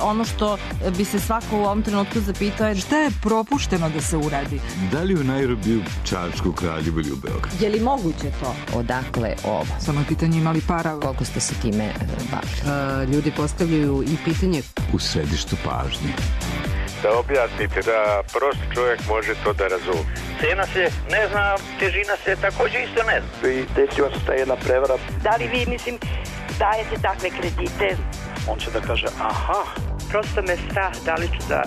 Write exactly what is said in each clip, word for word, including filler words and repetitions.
ono što bi se svako u ovom trenutku zapitao je šta je propušteno da se uradi? Da li u Nairobiju, Čačku, Kraljevu ili u Beogradu? Je li moguće to? Odakle ovo? Samo je pitanje imali para. Koliko ste se time bavili? Uh, ljudi postavljaju i pitanje u središtu pažnje. Da objasnite, da prosti čovjek može to da razumije. Cena se ne zna, težina se također isto ne zna. I desila se ta jedna prevara. Da li vi, mislim, dajete takve kredite? On će da kaže, aha. Prosto me strah, da li ću da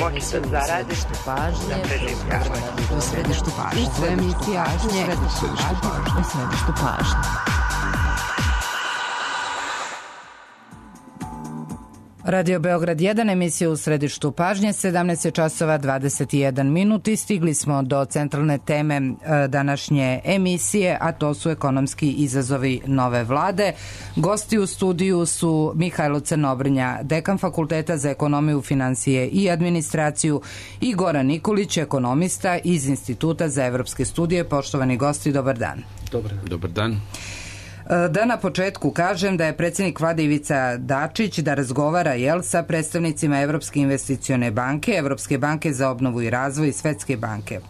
moći da zaradim. U središtu pažnje. U središtu pažnje. U središtu pažnje. U središtu pažnje. Radio Beograd jedan, emisija u središtu pažnje, sedamnaest časova dvadeset jedan minut i stigli smo do centralne teme današnje emisije, a to su ekonomski izazovi nove vlade. Gosti u studiju su Mihajlo Crnobrnja, dekan Fakulteta za ekonomiju, finansije i administraciju, i Goran Nikolić, ekonomista iz Instituta za evropske studije. Poštovani gosti, dobar dan. Dobar, dobar dan. Da na početku kažem da je predsjednik vlade Ivica Dačić da razgovara jel, sa predstavnicima Evropske investicione banke, Evropske banke za obnovu i razvoj i Svetske banke.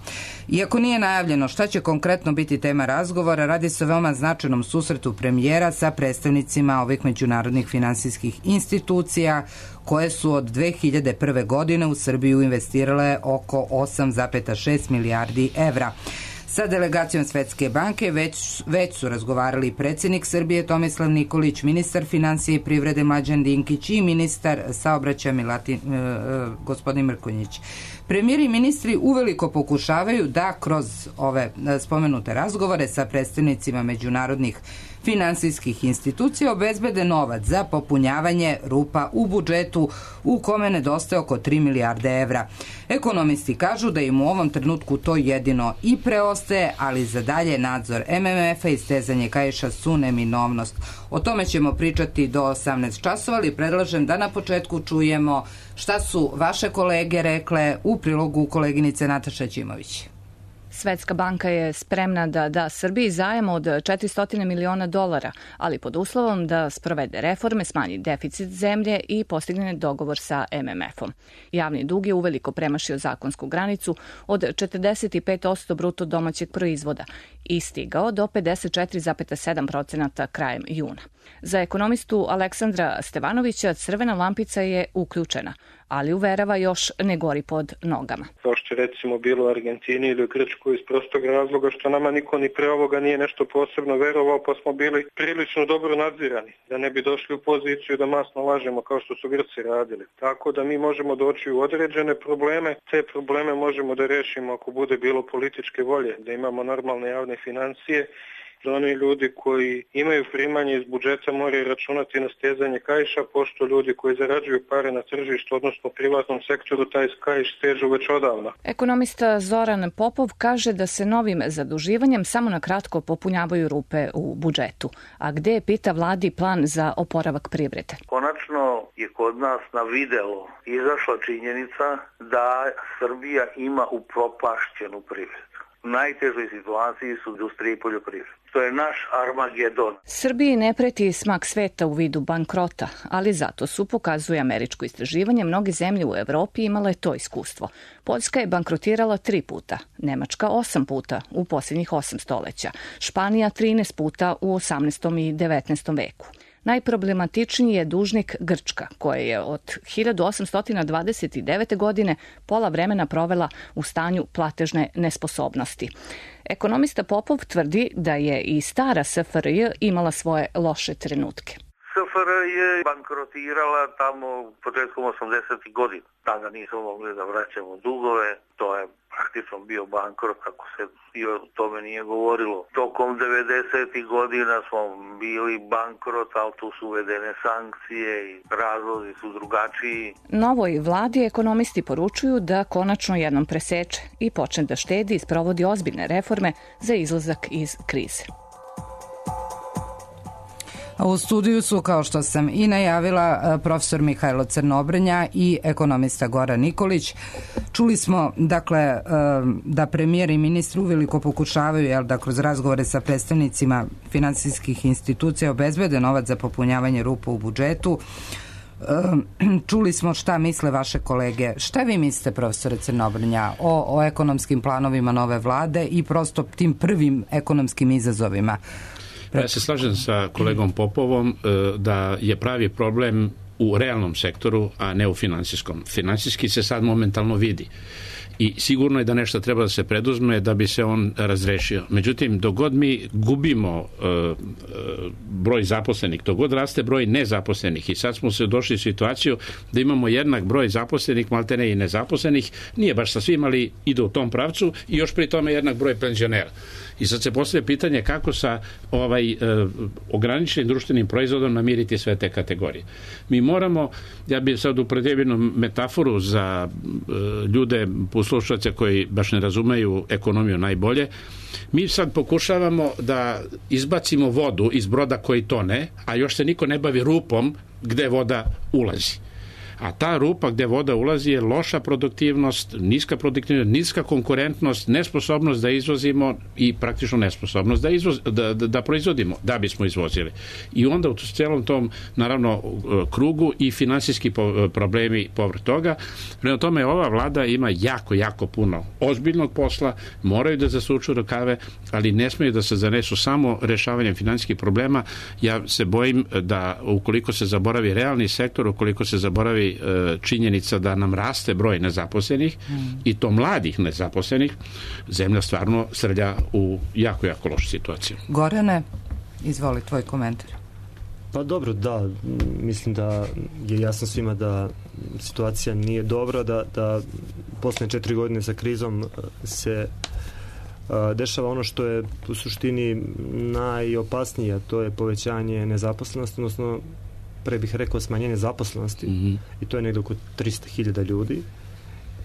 Iako nije najavljeno šta će konkretno biti tema razgovora, radi se o veoma značajnom susretu premijera sa predstavnicima ovih međunarodnih finansijskih institucija koje su od dve hiljade prve. godine u Srbiju investirale oko osam zarez šest milijardi evra. Sa delegacijom Svetske banke već, već su razgovarali predsjednik Srbije Tomislav Nikolić, ministar finansije i privrede Mlađan Dinkić i ministar saobraćaja Milatin, e, e, gospodin Mrkonjić. Premijeri i ministri uveliko pokušavaju da kroz ove spomenute razgovore sa predstavnicima međunarodnih finansijskih institucija obezbede novac za popunjavanje rupa u budžetu u kome nedostaje oko tri milijarde evra. Ekonomisti kažu da im u ovom trenutku to jedino i preostaje, ali za dalje nadzor M M F-a i stezanje kaiša su neminovnost. O tome ćemo pričati do osamnaest časova, ali predlažem da na početku čujemo šta su vaše kolege rekle u prilogu koleginice Nataše Ćimović. Svetska banka je spremna da da Srbiji zajam od četiristo miliona dolara, ali pod uslovom da sprovede reforme, smanji deficit zemlje i postigne dogovor sa M M F-om. Javni dug je uveliko premašio zakonsku granicu od četrdeset pet posto bruto domaćeg proizvoda i stigao do pedeset četiri zarez sedam procenata krajem juna. Za ekonomistu Aleksandra Stevanovića crvena lampica je uključena, ali uverava još ne gori pod nogama. Kao što je recimo bilo u Argentini ili u Grčkoj iz prostog razloga što nama niko ni pre ovoga nije nešto posebno verovao, pa smo bili prilično dobro nadzirani, da ne bi došli u poziciju da masno lažemo kao što su Grci radili. Tako da mi možemo doći u određene probleme, te probleme možemo da rešimo ako bude bilo političke volje, da imamo normalne javne financije, da oni ljudi koji imaju primanje iz budžeta moraju računati na stezanje kaiša, pošto ljudi koji zarađuju pare na tržištu, odnosno privatnom sektoru, taj kaiš stežu već odavno. Ekonomista Zoran Popov kaže da se novim zaduživanjem samo na kratko popunjavaju rupe u budžetu. A gde je, pita vladi, plan za oporavak privrede? Konačno je kod nas na videlo izašla činjenica da Srbija ima upropašćenu privredu. U najtežoj situaciji su industrije i poljoprivrede. To je naš Armagedon. Srbiji ne preti smak sveta u vidu bankrota, ali zato su, pokazuje američko istraživanje, mnoge zemlje u Evropi imale to iskustvo. Poljska je bankrotirala tri puta, Nemačka osam puta u posljednjih osam stoleća, Španija trinaest puta u osamnaestom i devetnaestom veku. Najproblematičniji je dužnik Grčka, koja je od hiljadu osamsto dvadeset devete. godine pola vremena provela u stanju platežne nesposobnosti. Ekonomista Popov tvrdi da je i stara S F R J imala svoje loše trenutke. S F R J je bankrotirala tamo početkom osamdesetih godina. Tada nismo mogli da vraćamo dugove, to je praktično bio bankrot, kako se i o tome nije govorilo. Tokom devedesetih godina smo bili bankrot, ali tu su uvedene sankcije i razlozi su drugačiji. Novoj vladi ekonomisti poručuju da konačno jednom preseče i počne da štedi i sprovodi ozbiljne reforme za izlazak iz krize. A u studiju su, kao što sam i najavila, profesor Mihajlo Crnobrnja i ekonomista Goran Nikolić. Čuli smo, dakle, da premijer i ministri uveliko pokušavaju, jel, da kroz razgovore sa predstavnicima finansijskih institucija obezbede novac za popunjavanje rupa u budžetu. Čuli smo šta misle vaše kolege. Šta vi mislite, profesore Crnobrnja, o, o ekonomskim planovima nove vlade i prosto tim prvim ekonomskim izazovima? Ja se slažem sa kolegom Popovom da je pravi problem u realnom sektoru, a ne u finansijskom. Finansijski se sad momentalno vidi. I sigurno je da nešto treba da se preduzme da bi se on razrešio. Međutim, dok god mi gubimo e, e, broj zaposlenih, dok god raste broj nezaposlenih i sad smo se došli u situaciju da imamo jednak broj zaposlenih, maltene i nezaposlenih, nije baš sa svim, ali ide u tom pravcu i još pri tome jednak broj penzionera. I sad se postavlja pitanje kako sa ovaj e, ograničenim društvenim proizvodom namiriti sve te kategorije. Mi moramo, ja bih sad upotrijebio jednu metaforu za e, ljude, poslušaoce koji baš ne razumeju ekonomiju najbolje. Mi sad pokušavamo da izbacimo vodu iz broda koji tone, a još se niko ne bavi rupom gde voda ulazi. A ta rupa gde voda ulazi je loša produktivnost, niska produktivnost, niska konkurentnost, nesposobnost da izvozimo i praktično nesposobnost da, izvoz, da, da, da proizvodimo, da bismo izvozili. I onda u celom tom, naravno, krugu i finansijski problemi povrh toga. Prema tome, ova vlada ima jako, jako puno ozbiljnog posla, moraju da zasuču rukave, ali ne smeju da se zanesu samo rešavanjem finansijskih problema. Ja se bojim da ukoliko se zaboravi realni sektor, ukoliko se zaboravi činjenica da nam raste broj nezaposlenih mm. i to mladih nezaposlenih, zemlja stvarno srlja u jako, jako lošu situaciju. Gorane, izvoli tvoj komentar. Pa dobro, da, mislim da je jasno svima da situacija nije dobra, da, da poslednje četiri godine sa krizom se a, dešava ono što je u suštini najopasnije, a to je povećanje nezaposlenosti, odnosno pre bih rekao smanjenje zaposlenosti mm-hmm. i to je negdje oko tristo hiljada ljudi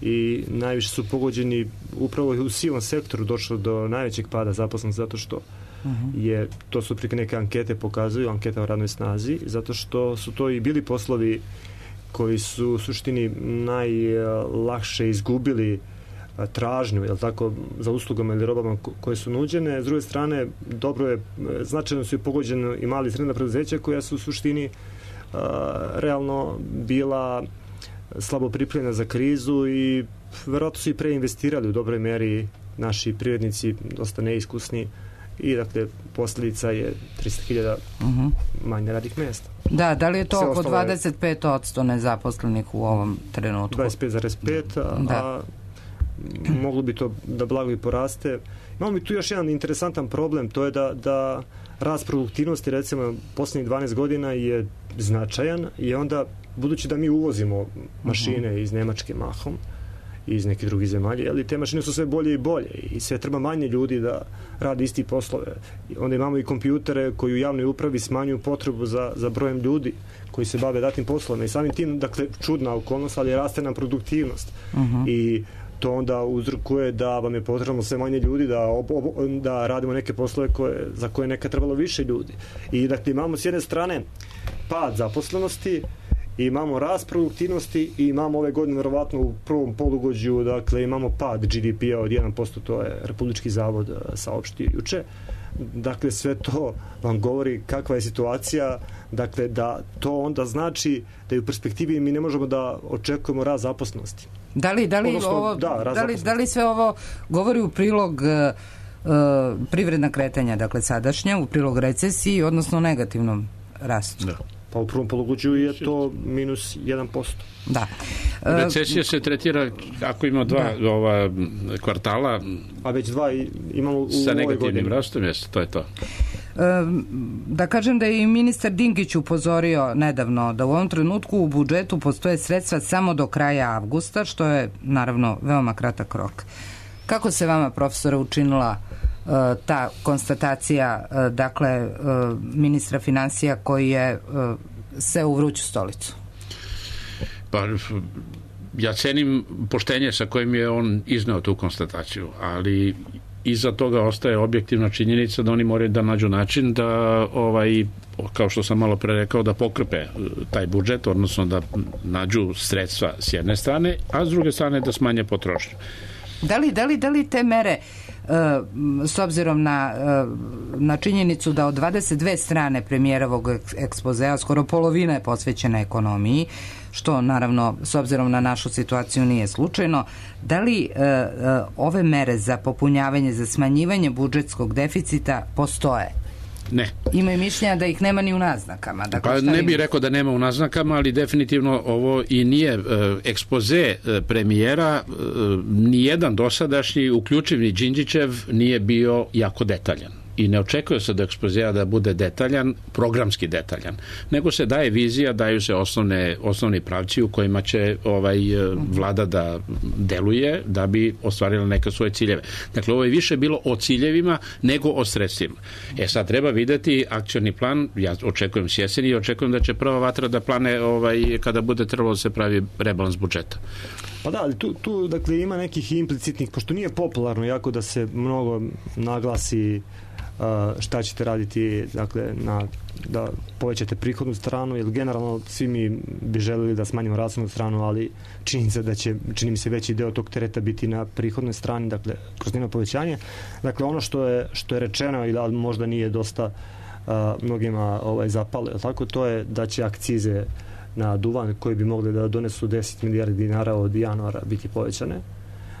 i najviše su pogođeni upravo u sivom sektoru došlo do najvećeg pada zaposlenosti zato što mm-hmm. je, to su prike neke ankete pokazuju, anketa o radnoj snazi, zato što su to i bili poslovi koji su u suštini najlakše izgubili tražnju, jel tako, za uslugama ili robama koje su nuđene. S druge strane, dobro je, značajno su i pogođene i mali i srednja preduzeća koja su u suštini uh, realno bila slabo pripremljena za krizu i verovatno su i preinvestirali u dobroj meri naši privrednici, dosta neiskusni i dakle posljedica je tristo hiljada uh-huh. manje radnih mjesta. Da, da li je to sve oko dvadeset pet posto nezaposlenih u ovom trenutku? dvadeset pet zarez pet, a, a moglo bi to da blago i poraste. Imamo mi tu još jedan interesantan problem, to je da, da rast produktivnosti recimo posljednjih dvanaest godina je značajan i onda budući da mi uvozimo mašine uh-huh. iz Nemačke mahom i iz nekih drugih zemalja, ali te mašine su sve bolje i bolje i sve treba manje ljudi da radi isti poslove. Onda imamo i kompjutere koji u javnoj upravi smanjuju potrebu za, za brojem ljudi koji se bave datim poslovima i samim tim, dakle, čudna okolnost, ali raste nam produktivnost. Uh-huh. I to onda uzrokuje da vam je potrebno sve manje ljudi da, ob, ob, da radimo neke poslove koje, za koje neka trebalo više ljudi. I dakle imamo s jedne strane pad zaposlenosti, imamo rast produktivnosti i imamo ove godine verovatno u prvom polugođu, dakle imamo pad G D P-a od jedan posto, to je Republički zavod saopštio juče. Dakle, sve to vam govori kakva je situacija, dakle da to onda znači da i u perspektivi mi ne možemo da očekujemo rast zaposlenosti. Da li, da li, Odnosno, ovo, da, da, li, da li sve ovo govori u prilog uh, privredna kretanja, dakle sadašnja, u prilog recesiji, odnosno negativnom rastu? Da. Pa u prvom polugođu je to minus jedan posto. Da. Recesija se tretira ako ima dva da. ova kvartala, a već dva imamo u sa negativnim rastom, jeste, to je to. Da kažem da je i ministar Dinkić upozorio nedavno da u ovom trenutku u budžetu postoje sredstva samo do kraja avgusta, što je naravno veoma kratak rok. Kako se vama, profesore, učinila uh, ta konstatacija uh, dakle uh, ministra financija koji je uh, se u vruću stolicu? Pa ja cenim poštenje sa kojim je on izneo tu konstataciju, ali iza toga ostaje objektivna činjenica da oni moraju da nađu način da, ovaj, kao što sam malo pre rekao, da pokrpe taj budžet, odnosno da nađu sredstva s jedne strane, a s druge strane da smanje potrošnju. Da li, da li, da li te mere s obzirom na, na činjenicu da od dvadeset dve strane premijerovog ekspozea skoro polovina je posvećena ekonomiji, što naravno s obzirom na našu situaciju nije slučajno, da li ove mere za popunjavanje, za smanjivanje budžetskog deficita postoje? Ne. Imaju mišljenja da ih nema ni u naznakama. Dakle, pa ne bih rekao da nema u naznakama, ali definitivno ovo i nije e, ekspoze e, premijera, e, nijedan dosadašnji, uključiv ni Đinđićev, nije bio jako detaljan. I ne očekuje se da ekspozea da bude detaljan, programski detaljan, nego se daje vizija, daju se osnovne, osnovni pravci u kojima će ovaj vlada da deluje da bi ostvarila neke svoje ciljeve. Dakle, ovo je više bilo o ciljevima nego o sredstvima. E sad treba videti akcioni plan, ja očekujem s jeseni i očekujem da će prva vatra da plane ovaj, kada bude trebalo da se pravi rebalans budžeta. Pa da, ali tu, tu dakle, ima nekih implicitnih, pošto nije popularno jako da se mnogo naglasi šta ćete raditi, dakle, na, da povećate prihodnu stranu, jer generalno svi mi bi želeli da smanjimo rashodnu stranu, ali čini se da će, čini mi se veći deo tog tereta biti na prihodnoj strani, dakle, kroz njeno povećanje. Dakle, ono što je, što je rečeno i da možda nije dosta a, mnogima ovaj, zapalo, tako, to je da će akcize na duvan koji bi mogli da donesu deset milijardi dinara od januara biti povećane,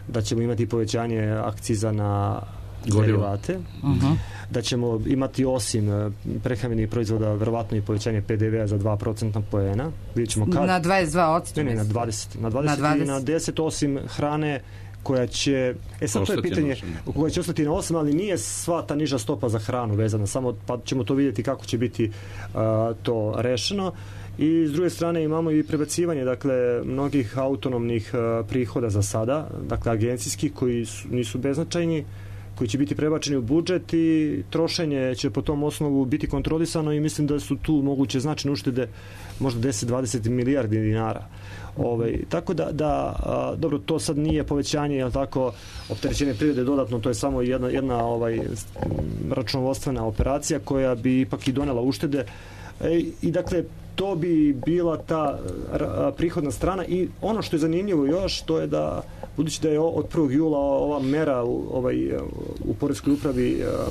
da ćemo imati povećanje akciza na derivate, uh-huh. da ćemo imati osim prehrambenih proizvoda verovatno i povećanje pe de vea za dva procentna poena. Vidjet ćemo kad. Na dvadeset dva odsto. Ne, ne, na dvadeset. Na dvadeset, na dvadeset. I na deset osim hrane koja će, e sad to je pitanje koja će ostati na osam, ali nije sva ta niža stopa za hranu vezana, samo pa ćemo to vidjeti kako će biti uh, to rešeno. I s druge strane imamo i prebacivanje, dakle, mnogih autonomnih uh, prihoda za sada, dakle, agencijskih koji su, nisu beznačajni, koji će biti prebačeni u budžet i trošenje će po tom osnovu biti kontrolisano i mislim da su tu moguće značajne uštede, možda deset do dvadeset milijardi dinara. Ovaj, tako da, da a, dobro, to sad nije povećanje, jel tako, opterećenje privrede dodatno, to je samo jedna, jedna ovaj, računovodstvena operacija koja bi ipak i donela uštede e, i dakle to bi bila ta a, prihodna strana i ono što je zanimljivo još, to je da budući da je od prvog jula ova mera ovaj, u poreskoj upravi a,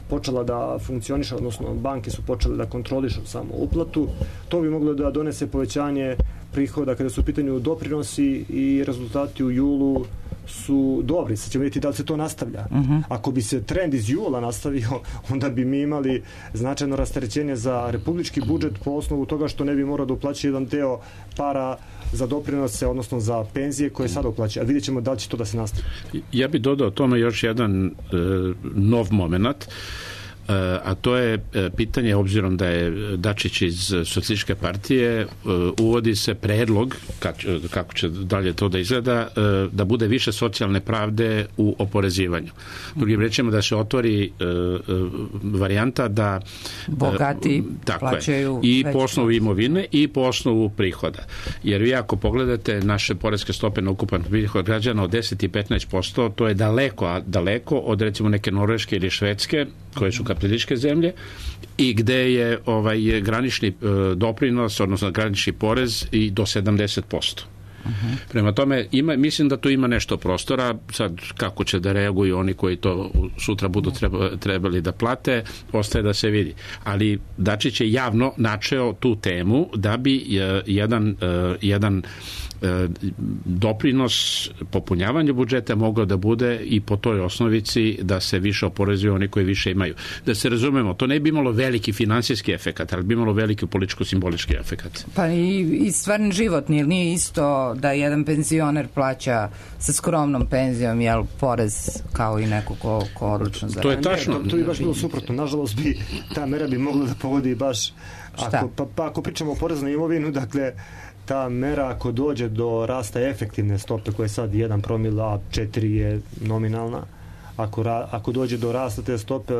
počela da funkcioniše, odnosno banke su počele da kontrolišu samo uplatu, to bi moglo da donese povećanje prihoda kada su u pitanju doprinosi i rezultati u julu su dobri. Sad ćemo vidjeti da li se to nastavlja. Uh-huh. Ako bi se trend iz jula nastavio, onda bi mi imali značajno rasterećenje za republički budžet po osnovu toga što ne bi morao da uplaći jedan deo para za doprinose, odnosno za penzije koje sada uplaća. A vidjet ćemo da li će to da se nastavi. Ja bih dodao tome još jedan e, nov moment, a to je pitanje, obzirom da je Dačić iz Socijalističke partije, uvodi se predlog, kako će dalje to da izgleda, da bude više socijalne pravde u oporezivanju. Drugim rečima da se otvori varijanta da bogati plaćaju i po osnovu imovine i po osnovu prihoda. Jer vi ako pogledate naše poreske stope na ukupan prihod građana od deset i petnaest posto, to je daleko, a daleko od recimo neke Norveške ili Švedske, koje su kapitalističke zemlje i gde je ovaj granični e, doprinos, odnosno granični porez i do sedamdeset posto. Uh-huh. Prema tome, ima, mislim da tu ima nešto prostora, sad kako će da reaguju oni koji to sutra budu treba, trebali da plate, ostaje da se vidi. Ali Dačić je javno načeo tu temu da bi e, jedan, e, jedan e, doprinos popunjavanju budžeta mogao da bude i po toj osnovici da se više oporezuju oni koji više imaju. Da se razumemo, to ne bi imalo veliki finansijski efekat, ali bi imalo veliki političko-simbolički efekat. Pa i, i stvarni život nije, nije isto da jedan penzioner plaća sa skromnom penzijom, jel, porez kao i neko ko, ko odlično zaradi. To je tačno. To, to bi baš bilo suprotno. Nažalost, bi, ta mera bi mogla da pogodi baš, ako, pa, pa ako pričamo o porezu na imovinu, dakle, ta mera ako dođe do rasta efektivne stope koja je sad jedan promil, a četiri je nominalna, ako, ra, ako dođe do rasta te stope,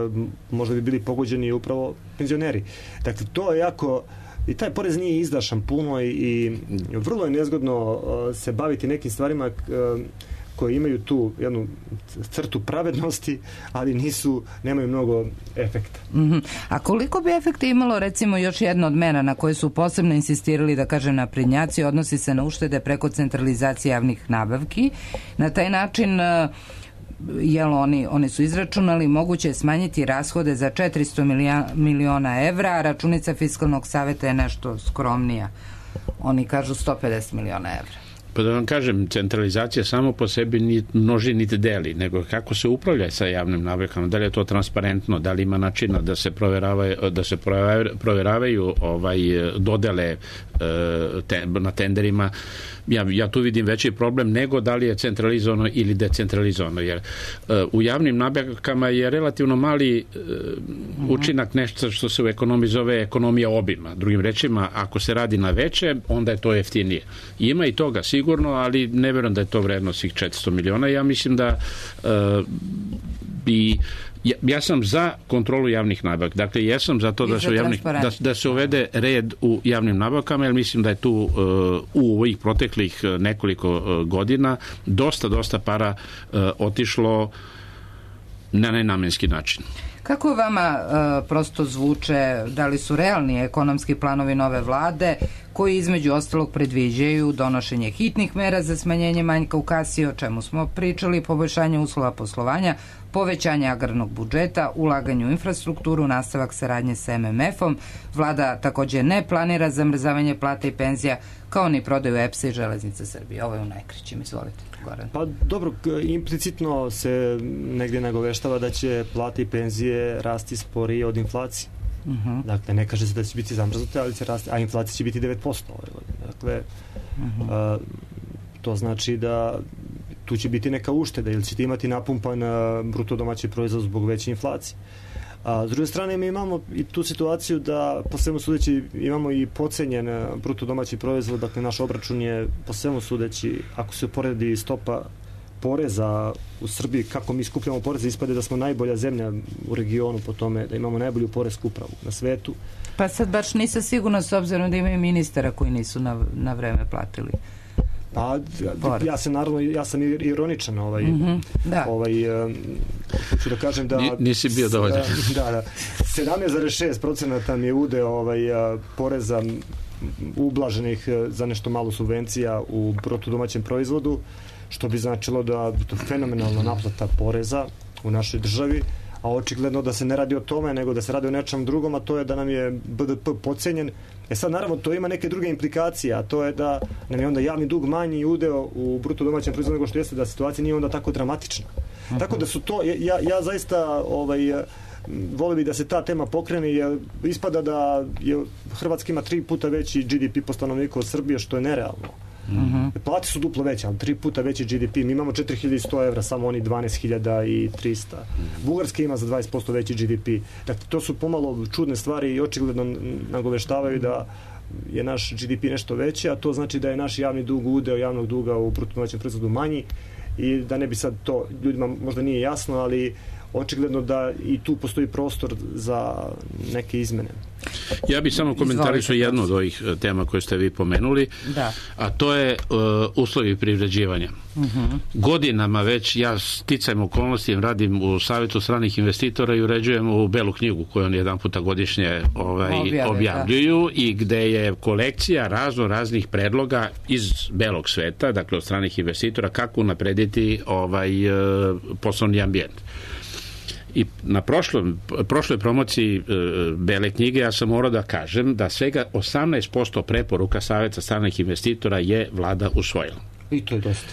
možda bi bili pogođeni upravo penzioneri. Dakle, to je jako, i taj porez nije izdašan puno i, i vrlo je nezgodno uh, se baviti nekim stvarima uh, koje imaju tu jednu crtu pravednosti, ali nisu, nemaju mnogo efekta. Mm-hmm. A koliko bi efekta imalo, recimo, još jedna od mera na koje su posebno insistirali, da kažem, naprednjaci, odnosi se na uštede preko centralizacije javnih nabavki. Na taj način jel oni, oni su izračunali, moguće je smanjiti rashode za četiristo miliona evra, a računica Fiskalnog saveta je nešto skromnija. Oni kažu sto pedeset miliona evra. Pa da vam kažem, centralizacija samo po sebi ni množi niti deli, nego kako se upravlja sa javnim nabavkama, da li je to transparentno, da li ima načina da se proveravaju, da se proveravaju ovaj, dodele te, na tenderima. Ja, ja tu vidim veći problem nego da li je centralizovano ili decentralizovano, jer uh, u javnim nabavkama je relativno mali uh, učinak nešto što se u ekonomiji zove ekonomija obima. Drugim rečima, ako se radi na veće, onda je to jeftinije. Ima i toga sigurno, ali ne verujem da je to vredno svih četiristo miliona. Ja mislim da uh, bi Ja, ja sam za kontrolu javnih nabavki. Dakle, ja sam za to da se, javnih, da, da se uvede red u javnim nabavkama, jer mislim da je tu uh, u ovih proteklih nekoliko uh, godina dosta, dosta para uh, otišlo na nenamenski način. Kako vama uh, prosto zvuče, da li su realni ekonomski planovi nove vlade koji između ostalog predviđaju donošenje hitnih mera za smanjenje manjka u kasi, o čemu smo pričali, poboljšanje uslova poslovanja, povećanje agrarnog budžeta, ulaganje u infrastrukturu, nastavak saradnje sa em em efom. Vlada takođe ne planira zamrzavanje plata i penzija, kao ni prodaju E P S-a i Železnice Srbije. Ovo je u najkraćim, izvolite, Goran. Pa dobro, implicitno se negdje nagoveštava da će plate i penzije rasti sporije od inflacije. Uh-huh. Dakle, ne kaže se da će biti zamrznute, ali će rasti, a inflacija će biti devet posto ove godine. Dakle, uh-huh. a, to znači da tu će biti neka ušteda ili ćete imati napumpan bruto domaći proizvod zbog veće inflacije. A s druge strane mi imamo i tu situaciju da po svemu sudeći imamo i pocenjen bruto domaći proizvod, dakle naš obračun je po svemu sudeći, ako se uporedi stopa poreza u Srbiji, kako mi skupljamo poreze, ispade da smo najbolja zemlja u regionu po tome, da imamo najbolju poresku upravu na svetu. Pa sad baš nisam sigurna s obzirom da imaju ministara koji nisu na, na vreme platili. Pa, ja sam naravno, ja sam ironičan, ovaj, mm-hmm, da. ovaj, um, hoću da kažem da... N, nisi bio dovoljan. Da, da. sedamnaest zarez šest posto mi je udeo ovaj, uh, poreza ublaženih za nešto malo subvencija u bruto domaćem proizvodu, što bi značilo da je to fenomenalna naplata poreza u našoj državi, a očigledno da se ne radi o tome, nego da se radi o nečem drugom, a to je da nam je B D P podcenjen. E sad, naravno, to ima neke druge implikacije, a to je da nam je onda javni dug manji udeo u bruto domaćem proizvodu nego što jeste, da situacija nije onda tako dramatična. Uh-huh. Tako da su to, ja, ja zaista ovaj, volio bi da se ta tema pokrene, jer ispada da je Hrvatska ima tri puta veći G D P po stanovniku od Srbije, što je nerealno. Uh-huh. Plate su duplo veće, ali tri puta veći G D P. Mi imamo četiri hiljade sto evra, samo oni dvanaest hiljada trista. Uh-huh. Bugarska ima za dvadeset posto veći G D P. Dakle, to su pomalo čudne stvari i očigledno nagoveštavaju da je naš G D P nešto veći, a to znači da je naš javni dug, udeo javnog duga u bruto domaćem proizvodu manji i da ne bi sad to ljudima možda nije jasno, ali očigledno da i tu postoji prostor za neke izmene. Ja bih samo komentarisao jednu od ovih tema koje ste vi pomenuli, da. A to je uh, uslovi privređivanja. Uh-huh. Godinama već ja sticajem okolnosti radim u Savjetu stranih investitora i uređujem u Belu knjigu koju oni jedan puta godišnje ovaj, Objave, objavljuju da. I gde je kolekcija razno raznih predloga iz belog sveta, dakle od stranih investitora, kako naprediti ovaj, uh, poslovni ambijent. I na prošlom, prošloj promociji e, Bele knjige ja sam morao da kažem da svega osamnaest posto preporuka Savjeta stranih investitora je vlada usvojila. I to je dosta.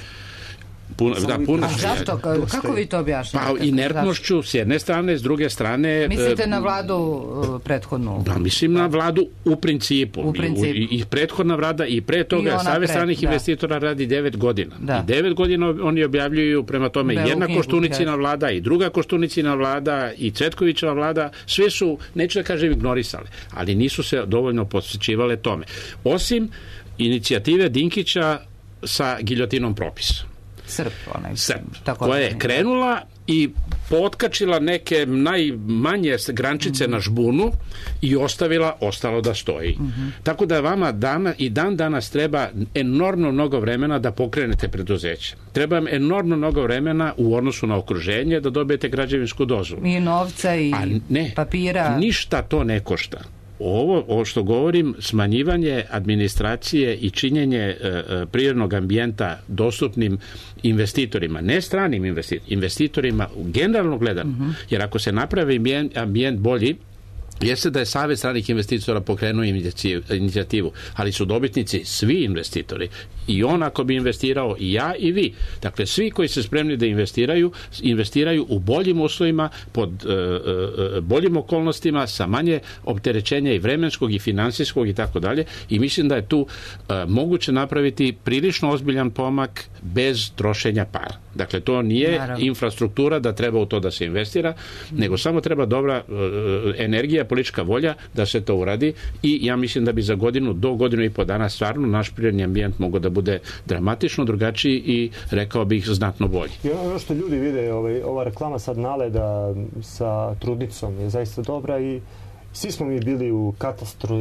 Puno, da, puno. A zašto? Kako vi to objašnjate? Pa inertnošću s jedne strane, s druge strane... Mislite na vladu prethodnu? Da, mislim na vladu u principu. U principu. I, i prethodna vlada i pre toga Savjet stranih investitora radi devet godina. Da. I devet godina oni objavljuju prema tome Belu jedna Koštunicina vlada i druga Koštunicina vlada i Cvetkovićeva vlada. Sve su, neću da kažem, ignorisale, ali nisu se dovoljno posvećivale tome. Osim inicijative Dinkića sa giljotinom propisa. Srp, onaj. Srp, koja je krenula i potkačila neke najmanje grančice mm-hmm. na žbunu i ostavila, ostalo da stoji. Mm-hmm. Tako da vama dana, i dan danas treba enormno mnogo vremena da pokrenete preduzeće. Treba vam enormno mnogo vremena u odnosu na okruženje da dobijete građevinsku dozvolu. I novca i A ne, papira. Ništa to ne košta. ovo, ovo što govorim, smanjivanje administracije i činjenje e, prirodnog ambijenta dostupnim investitorima, ne stranim investitorima, investitorima generalno gledano, uh-huh. jer ako se napravi ambijent bolji, jeste da je Savez stranih investitora pokrenuo inicijativu, ali su dobitnici svi investitori. I on ako bi investirao, i ja i vi. Dakle, svi koji se spremni da investiraju, investiraju u boljim uslovima, pod e, e, boljim okolnostima, sa manje opterećenja i vremenskog i finansijskog i tako dalje. I mislim da je tu e, moguće napraviti prilično ozbiljan pomak bez trošenja para. Dakle, to nije Naravno. infrastruktura da treba u to da se investira, nego samo treba dobra e, energija, politička volja da se to uradi i ja mislim da bi za godinu do godinu i po dana stvarno naš prirodni ambijent mogao da bude dramatično drugačiji i rekao bih znatno bolji. I ono što ljudi vide, ovaj, ova reklama sad Naleda sa trudnicom je zaista dobra i svi smo mi bili u katastru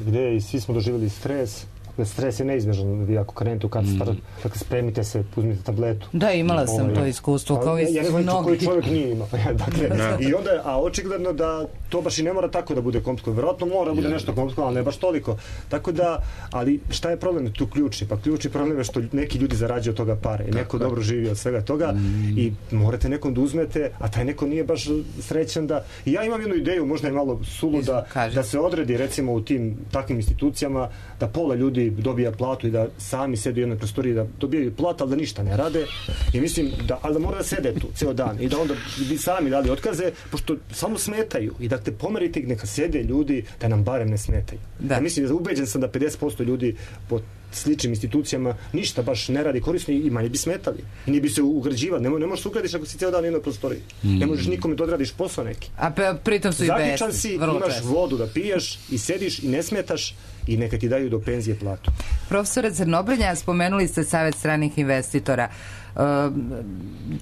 gdje i svi smo doživjeli stres. Stres je neizbježan, vi ako krenete u katastar, mm. dakle spremite se, uzmite tabletu. Da, imala sam ovaj, to iskustvo, kao i ja ne znam koji čovjek nije imao. dakle, da. I onda, a očigledno da to baš i ne mora tako da bude komplikovano. Vjerojatno mora da bude nešto komplikovano, ali ne baš toliko. Tako da, ali šta je problem tu ključni? Pa ključni problem je što neki ljudi zarađuju od toga pare i neko dobro živi od svega toga mm. i morate nekom da uzmete, a taj neko nije baš srećan da... I ja imam jednu ideju, možda je malo suluda, da se odredi recimo u tim takvim institucijama, da pola ljudi dobija platu i da sami sede u jednoj prostoriji da dobijaju platu, ali da ništa ne rade. I mislim da, ali da mora da sede tu ceo dan i da onda bi sami dali otkaze, pošto samo smetaju. I da te pomerite ih, neka sede ljudi da nam barem ne smetaju. Da. Ja mislim da ubeđen sam da pedeset posto ljudi po sličnim institucijama ništa baš ne radi korisno i manje bi smetali. I nije bi se ugrađivati. Ne, ne možeš se ugradiš ako si ceo dan u jednoj prostoriji. Mm. Ne možeš nikome da odradiš posao neki. A pritom su i zaključan si, imaš čest. vodu da piješ i sediš i ne smetaš i neka ti daju do penzije platu. Profesore Crnobrnja, spomenuli ste Savez stranih investitora.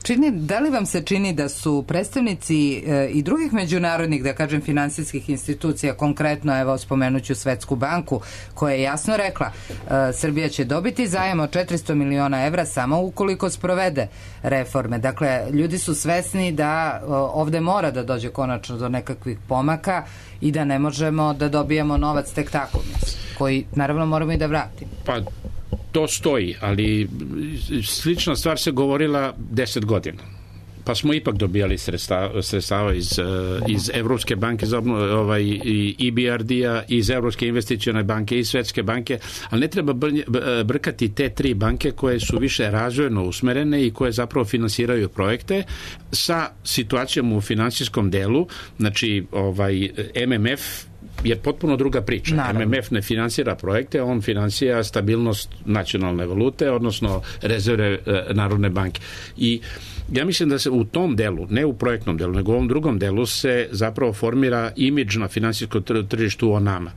Čini, da li vam se čini da su predstavnici i drugih međunarodnih, da kažem, finansijskih institucija, konkretno, evo, spomenuću Svetsku banku, koja je jasno rekla, Srbija će dobiti zajam od četiristo miliona evra samo ukoliko sprovede reforme. Dakle, ljudi su svesni da ovde mora da dođe konačno do nekakvih pomaka i da ne možemo da dobijemo novac tek tako, koji naravno moramo i da vratimo. Pa to stoji, ali slična stvar se govorila deset godina. Pa smo ipak dobijali sredstava, sredstava iz, iz Evropske banke za obnovu, ovaj, i E B R D-a, iz Evropske investicione banke i Svetske banke, ali ne treba brkati te tri banke koje su više razvojno usmerene i koje zapravo finansiraju projekte sa situacijom u finansijskom delu, znači ovaj, M M F je potpuno druga priča. Naravno. M M F ne finansira projekte, on finansira stabilnost nacionalne valute, odnosno rezerve e, Narodne banke. I ja mislim da se u tom delu, ne u projektnom delu, nego u ovom drugom delu se zapravo formira imidž na finansijskom tržištu o nama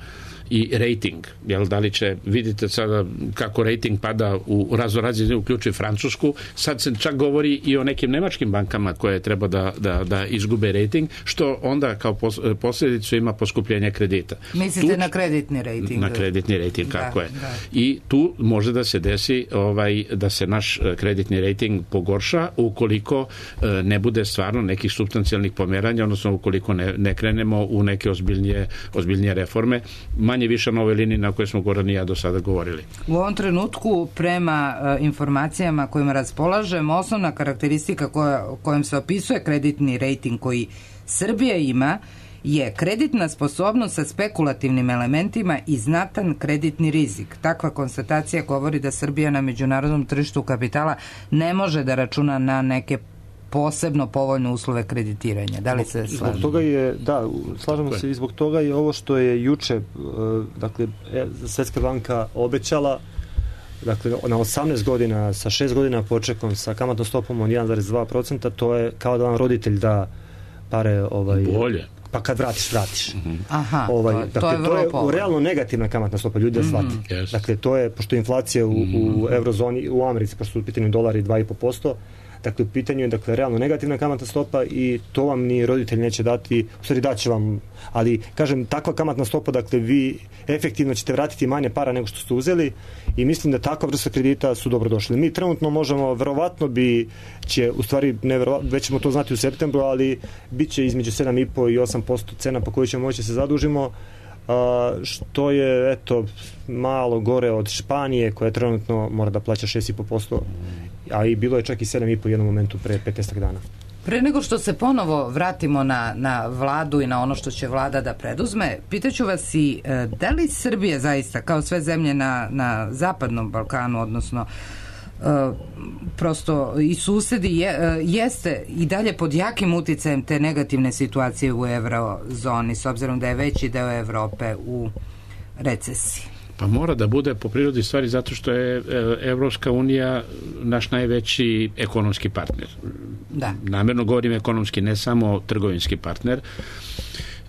i rating, jel, da li će, vidite sada kako rating pada u raznorazne, uključuju Francusku, sad se čak govori i o nekim nemačkim bankama koje treba da, da, da izgube rating, što onda kao posljedicu ima poskupljenje kredita. Mislite tu, na kreditni rating? Na kreditni rating, kako da, je. Da. I tu može da se desi ovaj, da se naš kreditni rating pogorša ukoliko ne bude stvarno nekih supstancijalnih pomeranja, odnosno ukoliko ne, ne krenemo u neke ozbiljnije, ozbiljnije reforme. Manje više na ovoj liniji na kojoj smo Goran i ja do sada govorili. U ovom trenutku, prema e, informacijama kojima raspolažem, osnovna karakteristika koja, kojom se opisuje kreditni rating koji Srbija ima je kreditna sposobnost sa spekulativnim elementima i znatan kreditni rizik. Takva konstatacija govori da Srbija na međunarodnom tržištu kapitala ne može da računa na neke posebno povoljne uslove kreditiranja. Da li se slažemo? Zbog toga je, da, slažemo se i zbog toga je ovo što je juče, dakle, Svetska banka obećala, dakle, na osamnaest godina, sa šest godina počekom, sa kamatnom stopom od jedan zarez dva procenta, to je kao da vam roditelj da pare, ovaj... Bolje. Pa kad vratiš, vratiš. Mm-hmm. Aha, ovaj, to, dakle, to je, to je povoljno. Realno negativna kamatna stopa, ljudi da shvati. Mm-hmm. Yes. Dakle, to je, pošto je inflacija u, mm-hmm. u eurozoni, u Americi, pošto su u pitanju dolari dva i po posto, dakle, u pitanju je, dakle, realno negativna kamatna stopa i to vam ni roditelj neće dati, u stvari daće vam, ali, kažem, takva kamatna stopa, dakle, vi efektivno ćete vratiti manje para nego što ste uzeli i mislim da takva vrsta kredita su dobro došli. Mi trenutno možemo, verovatno bi će, u stvari, neverovatno, već ćemo to znati u septembru, ali bit će između sedam i po i osam posto cena po kojoj ćemo moći se zadužimo. što je eto malo gore od Španije koja trenutno mora da plaća šest zarez pet posto, a i bilo je čak i sedam zarez pet u jednom momentu pre petnaest dana. Pre nego što se ponovo vratimo na, na vladu i na ono što će vlada da preduzme, pitaću vas i da li Srbija zaista, kao sve zemlje na, na zapadnom Balkanu, odnosno Uh, prosto i susedi je, uh, jeste i dalje pod jakim uticajem te negativne situacije u eurozoni, s obzirom da je veći deo Evrope u recesiji? Pa mora da bude po prirodi stvari zato što je Evropska unija naš najveći ekonomski partner. Da. Namerno govorim ekonomski, ne samo trgovinski partner.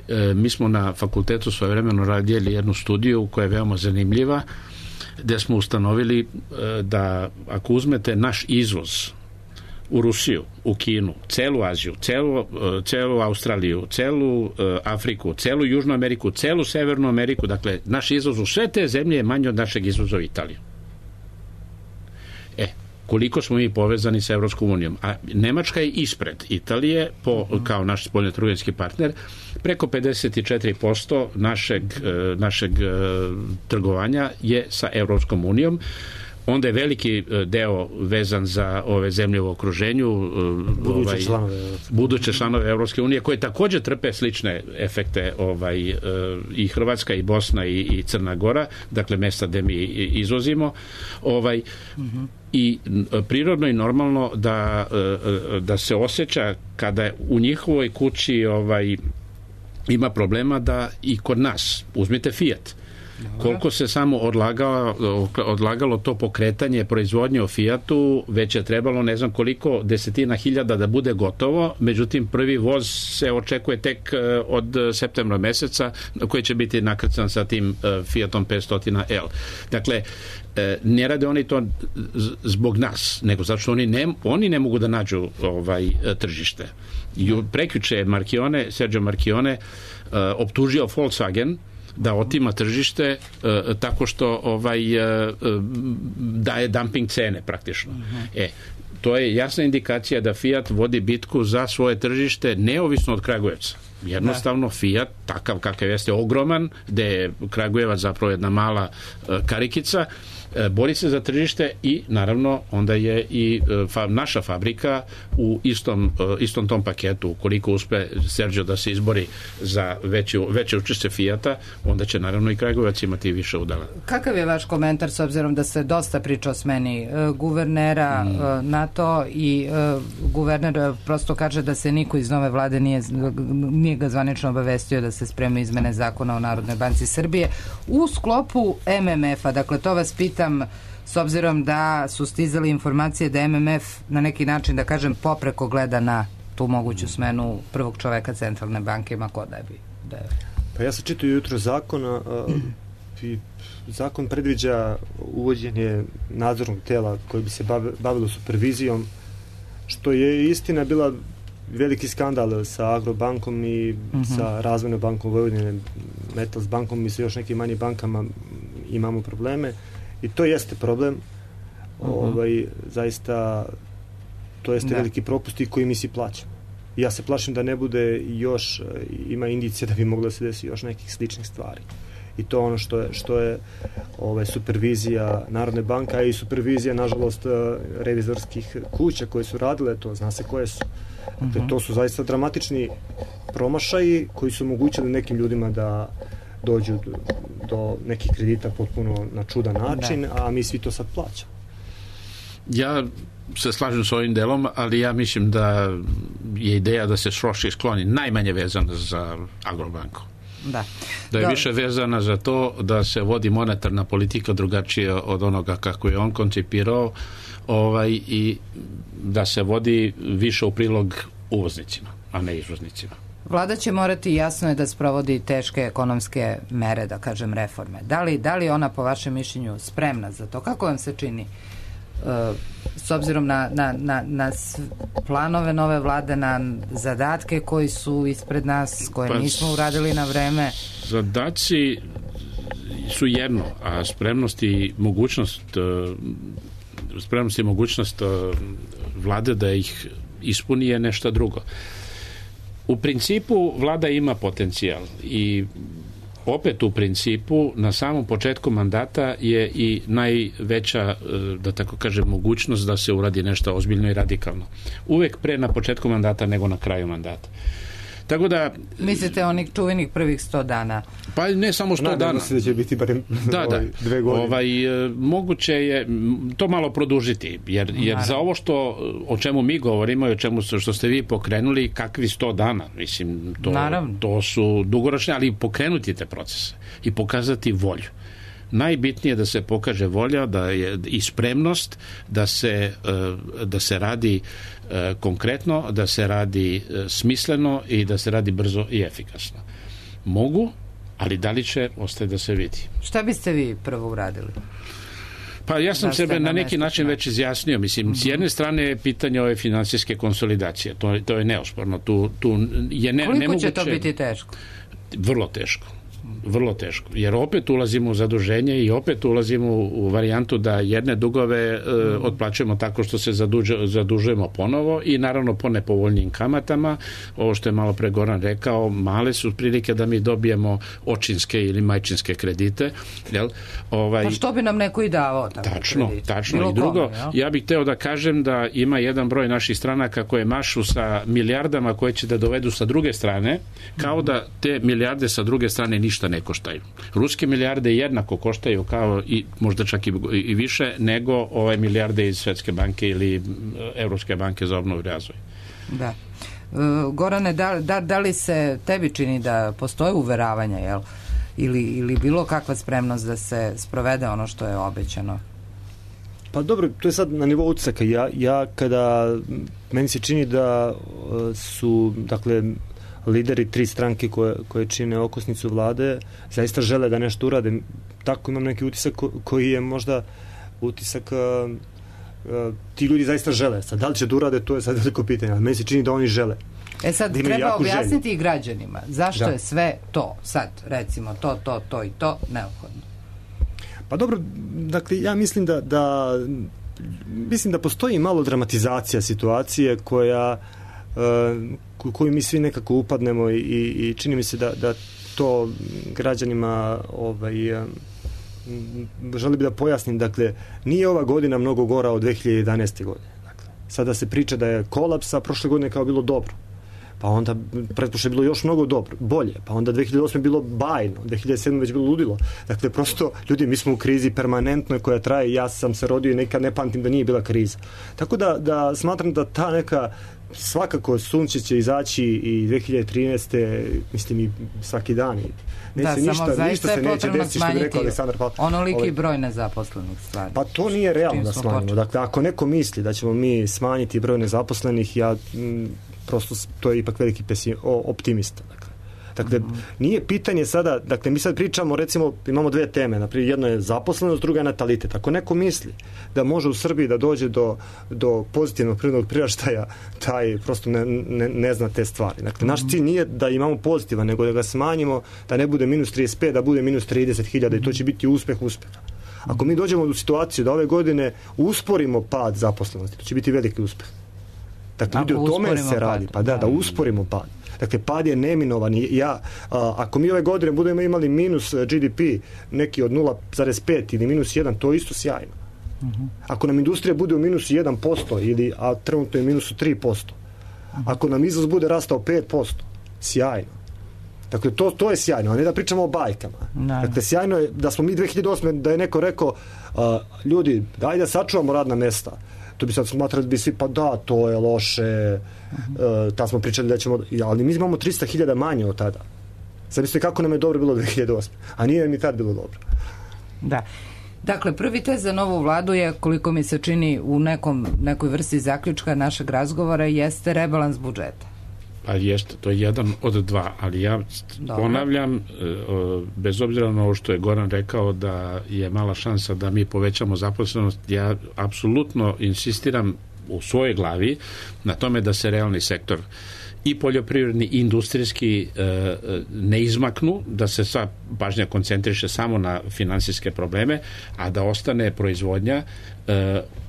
E, mi smo na fakultetu svojevremeno radili jednu studiju koja je veoma zanimljiva, gde smo ustanovili da ako uzmete naš izvoz u Rusiju, u Kinu, celu Aziju, celu, celu Australiju, celu Afriku, celu Južnu Ameriku, celu Severnu Ameriku, dakle, naš izvoz u sve te zemlje je manji od našeg izvoza u Italiju. E, koliko smo mi povezani sa Evropskom unijom? A Nemačka je ispred Italije po, kao naš spoljnotrgovinski partner. Preko pedeset četiri posto našeg, našeg trgovanja je sa Evropskom unijom. Onda je veliki deo vezan za ove zemlje u okruženju, buduće ovaj, članove buduće članove Evropske unije, koje takođe trpe slične efekte, ovaj, i Hrvatska i Bosna i, i Crna Gora, dakle mesta gde mi izvozimo, ovaj, uh-huh. I prirodno i normalno da, da se osjeća kada je u njihovoj kući ovaj, ima problema da i kod nas, uzmite Fiat, koliko se samo odlagalo, odlagalo to pokretanje proizvodnje o Fiatu, već je trebalo ne znam koliko desetina hiljada da bude gotovo, međutim prvi voz se očekuje tek od septembra meseca, koji će biti nakrcan sa tim Fiatom petsto L. Dakle, ne rade oni to zbog nas, nego zato što oni ne, oni ne mogu da nađu ovaj, tržište. Prekjuče je Marchione, Sergio Marchione optužio Volkswagen da otima tržište uh, tako što ovaj uh, daje dumping cene praktično. Uh-huh. E, to je jasna indikacija da Fiat vodi bitku za svoje tržište neovisno od Kragujevca. Jednostavno da. Fiat, takav kakav jeste, ogroman, gde je Kragujevac zapravo jedna mala uh, karikica, bori se za tržište i naravno onda je i fa, naša fabrika u istom, istom tom paketu. Ukoliko uspe Sergio da se izbori za veće, veće učešće Fijata, onda će naravno i Kragujevac imati više udela. Kakav je vaš komentar s obzirom da se dosta priča o smeni guvernera mm. NATO i guverner prosto kaže da se niko iz nove vlade nije, nije ga zvanično obavestio da se sprema izmene zakona o Narodnoj banci Srbije u sklopu M M F-a. Dakle, to vas pita s obzirom da su stizali informacije da M M F na neki način, da kažem, popreko gleda na tu moguću smenu prvog čoveka centralne banke, ima ko da bi. Da je... Pa ja sam čitao jutro zakona i zakon predviđa uvođenje nadzornog tela koji bi se bavilo supervizijom, što je istina bila veliki skandal sa Agrobankom i uh-huh. sa Razvojnom bankom Vojvodine, Metals bankom i sa još nekim manjim bankama imamo probleme. I to jeste problem, uh-huh. ovaj, zaista to jeste da. veliki propust i koji mi si plaćamo. I ja se plašim da ne bude još, ima indicije da bi moglo da se desi još nekih sličnih stvari. I to ono što je, što je ovaj, supervizija Narodne banke, a i supervizija, nažalost, revizorskih kuća koje su radile to, zna se koje su. Dakle, uh-huh. to su zaista dramatični promašaji koji su omogućili nekim ljudima da dođu do, do nekih kredita potpuno na čudan način, da. A mi svi to sad plaćamo. Ja se slažem s ovim delom, ali ja mislim da je ideja da se sroši skloni najmanje vezana za Agrobanku. Da. Da je da. više vezana za to da se vodi monetarna politika drugačije od onoga kako je on koncipirao, ovaj, i da se vodi više u prilog uvoznicima, a ne izvoznicima. Vlada će morati, jasno je, da sprovodi teške ekonomske mere, da kažem reforme. Da li, da li ona po vašem mišljenju spremna za to? Kako vam se čini? Uh, s obzirom na, na, na, na planove nove vlade, na zadatke koji su ispred nas, koje pa, nismo uradili na vreme? Zadaci su jedno, a spremnost i mogućnost spremnost i mogućnost vlade da ih ispuni je nešto drugo. U principu vlada ima potencijal i opet u principu na samom početku mandata je i najveća, da tako kažem, mogućnost da se uradi nešto ozbiljno i radikalno. Uvek pre na početku mandata nego na kraju mandata. Tako da... Mislite onih čuvenih prvih sto dana? Pa ne samo sto dana. Nadam se da će biti barem da, da. dve godine. Ovaj, moguće je to malo produžiti, jer, jer za ovo što, o čemu mi govorimo i o čemu što ste vi pokrenuli, kakvi sto dana, mislim, to, to su dugoročne, ali pokrenuti te procese i pokazati volju. Najbitnije je da se pokaže volja, da je i spremnost da se, da se radi konkretno, da se radi smisleno i da se radi brzo i efikasno. Mogu, ali da li će, ostaje da se vidi. Šta biste vi prvo uradili? Pa ja sam sebe na neki način već izjasnio. Mislim, mm-hmm. s jedne strane je pitanje ove finansijske konsolidacije. To, to je neosporno. Tu, tu je ne, Koliko nemoguće... će to biti teško? Vrlo teško. Vrlo teško, jer opet ulazimo u zaduženje i opet ulazimo u varijantu da jedne dugove e, otplaćujemo tako što se zaduže, zadužujemo ponovo i naravno po nepovoljnim kamatama. Ovo što je malo pre Goran rekao, male su prilike da mi dobijemo očinske ili majčinske kredite. Jel? Ovaj, pa što bi nam neko i davao tako tačno, kredit? Tačno, Bilo i drugo, kome, ja? ja bih hteo da kažem da ima jedan broj naših stranaka koje mašu sa milijardama koje će da dovedu sa druge strane, kao da te milijarde sa druge strane ništa ne koštaju. Ruske milijarde jednako koštaju kao i možda čak i, i više nego ove milijarde iz Svetske banke ili Evropske banke za obnovu i razvoj. Da. E, Gorane, da, da, da li se tebi čini da postoje uveravanja, jel? Ili, ili bilo kakva spremnost da se sprovede ono što je obećano? Pa dobro, to je sad na nivou utisaka. Ja, ja kada meni se čini da su, dakle, lideri tri stranke koje, koje čine okosnicu vlade zaista žele da nešto urade. Tako imam neki utisak ko, koji je možda utisak uh, uh, ti ljudi zaista žele. Sad, da li će da urade, to je sad veliko pitanje, ali meni se čini da oni žele. E sad, da treba objasniti želju i građanima zašto da. je sve to, sad recimo to, to, to i to neophodno. Pa dobro, dakle, ja mislim da, da mislim da postoji malo dramatizacija situacije koja u koju mi svi nekako upadnemo i, i čini mi se da, da to građanima ovaj, želim bi da pojasnim, dakle, nije ova godina mnogo gora od dve hiljade jedanaeste. godine. Dakle, sada se priča da je kolaps, a prošle godine kao bilo dobro. Pa onda pretpošle bilo još mnogo dobro, bolje. Pa onda dve hiljade osme bilo bajno, dve hiljade sedme već bilo ludilo. Dakle, prosto, ljudi, mi smo u krizi permanentnoj koja traje, ja sam se rodio i nekad ne pamtim da nije bila kriza. Tako da, da smatram da ta neka svakako sunce će izaći i dve hiljade trinaeste. mislim i svaki dan. Neće da, ništa, samo ništa se neće desiti, što bi rekao Aleksandar Pavlović. Onoliki ovaj, broj nezaposlenih stvari. Pa to nije realno da smanjimo. Dakle, ako neko misli da ćemo mi smanjiti broj nezaposlenih, ja m, prosto to je ipak veliki pesim, o, optimista. Dakle, dakle mm-hmm. nije pitanje sada, dakle mi sad pričamo, recimo imamo dve teme, naprimjer jedno je zaposlenost, druga je natalitet. Ako neko misli da može u Srbiji da dođe do, do pozitivnog prirodnog priraštaja, taj prosto ne, ne, ne zna te stvari. Dakle, naš cilj nije da imamo pozitivan, nego da ga smanjimo, da ne bude minus trideset pet, da bude minus trideset hiljada i to će biti uspeh uspeha. Ako mi dođemo u situaciju da ove godine usporimo pad zaposlenosti, to će biti veliki uspeh. Dakle, ljudi, o tome se radi. Pa da, da usporimo pad. Dakle, pad je neminovan. Ja, a, ako mi ove godine budemo imali minus G D P neki od nula zarez pet ili minus jedan, to je isto sjajno. Uh-huh. Ako nam industrija bude u minusu jedan posto ili, a trenutno je minusu tri posto, uh-huh. ako nam izvoz bude rastao pet posto, sjajno. Dakle, to, to je sjajno, a ne da pričamo o bajkama. No. Dakle, sjajno je da smo mi dve hiljade osme da je neko rekao, a, ljudi, daj da sačuvamo radna mesta. To bi sad smatrali da bi svi, pa da, to je loše, uh-huh. uh, tad smo pričali da ćemo, ali mi imamo tristo hiljada manje od tada. Sad mislite kako nam je dobro bilo dve hiljade osme. A nije mi tad bilo dobro. Da. Dakle, prvi test za novu vladu je, koliko mi se čini u nekom, nekoj vrsti zaključka našeg razgovora, jeste rebalans budžeta. Pa jeste, to je jedan od dva, ali ja Dobre. ponavljam, bez obzira na ovo što je Goran rekao da je mala šansa da mi povećamo zaposlenost, ja apsolutno insistiram u svojoj glavi na tome da se realni sektor i poljoprivredni i industrijski ne izmaknu, da se sva pažnja koncentriše samo na finansijske probleme, a da ostane proizvodnja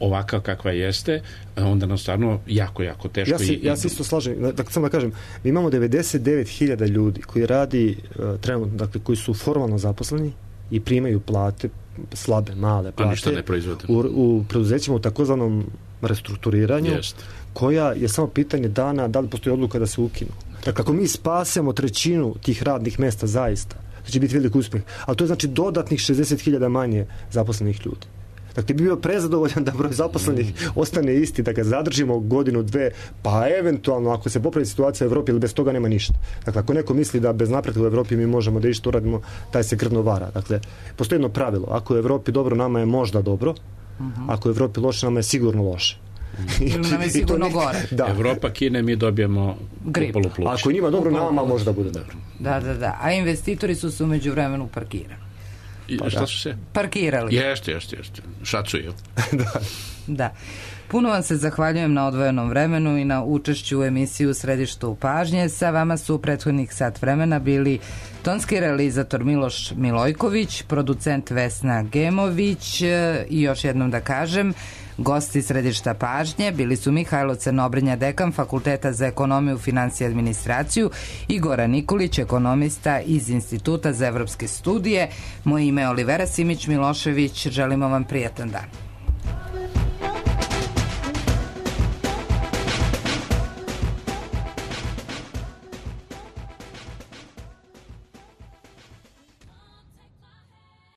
ovaka kakva jeste, onda nam stvarno jako, jako teško. Ja se, ja se isto slažem. Dakle, samo da kažem, mi imamo devedeset devet hiljada ljudi koji radi trenutno, dakle, koji su formalno zaposleni i primaju plate, slabe, male plate. A ništa ne proizvode. U, u preduzećima u takozvanom restrukturiranju, Jest. koja je samo pitanje dana da li postoji odluka da se ukinu. Dakle, ako mi spasemo trećinu tih radnih mesta zaista, to će biti velik uspjeh. Ali to je znači dodatnih šezdeset hiljada manje zaposlenih ljudi. Dakle, bi bio prezadovoljan da broj zaposlenih mm. ostane isti, da ga zadržimo godinu, dve, pa eventualno ako se popravi situacija u Evropi, ili bez toga nema ništa. Dakle, ako neko misli da bez napretka u Evropi mi možemo da išta uradimo, taj se grdno vara. Dakle, postoji jedno pravilo. Ako je u Evropi dobro, nama je možda dobro. Mm-hmm. Ako je u Evropi loše, nama je sigurno loše. Ili nam je sigurno ne... gore. Da. Evropa kine, mi dobijemo gripu. Ako njima dobro, nama možda bude dobro. Da, da, da. A investitori su se umeđu vremenu parkirali. Pa šta su se? Parkirali. Jeste, jeste, jeste. Šacuju. da. Da. Puno vam se zahvaljujem na odvojenom vremenu i na učešću u emisiju Središtu pažnje. Sa vama su u prethodnih sat vremena bili tonski realizator Miloš Milojković, producent Vesna Gemović i još jednom da kažem, gosti Središta pažnje bili su Mihajlo Crnobrinja, dekan Fakulteta za ekonomiju, finansije i administraciju, i Goran Nikolić, ekonomista iz Instituta za evropske studije. Moje ime je Olivera Simić Milošević. Želimo vam prijatan dan.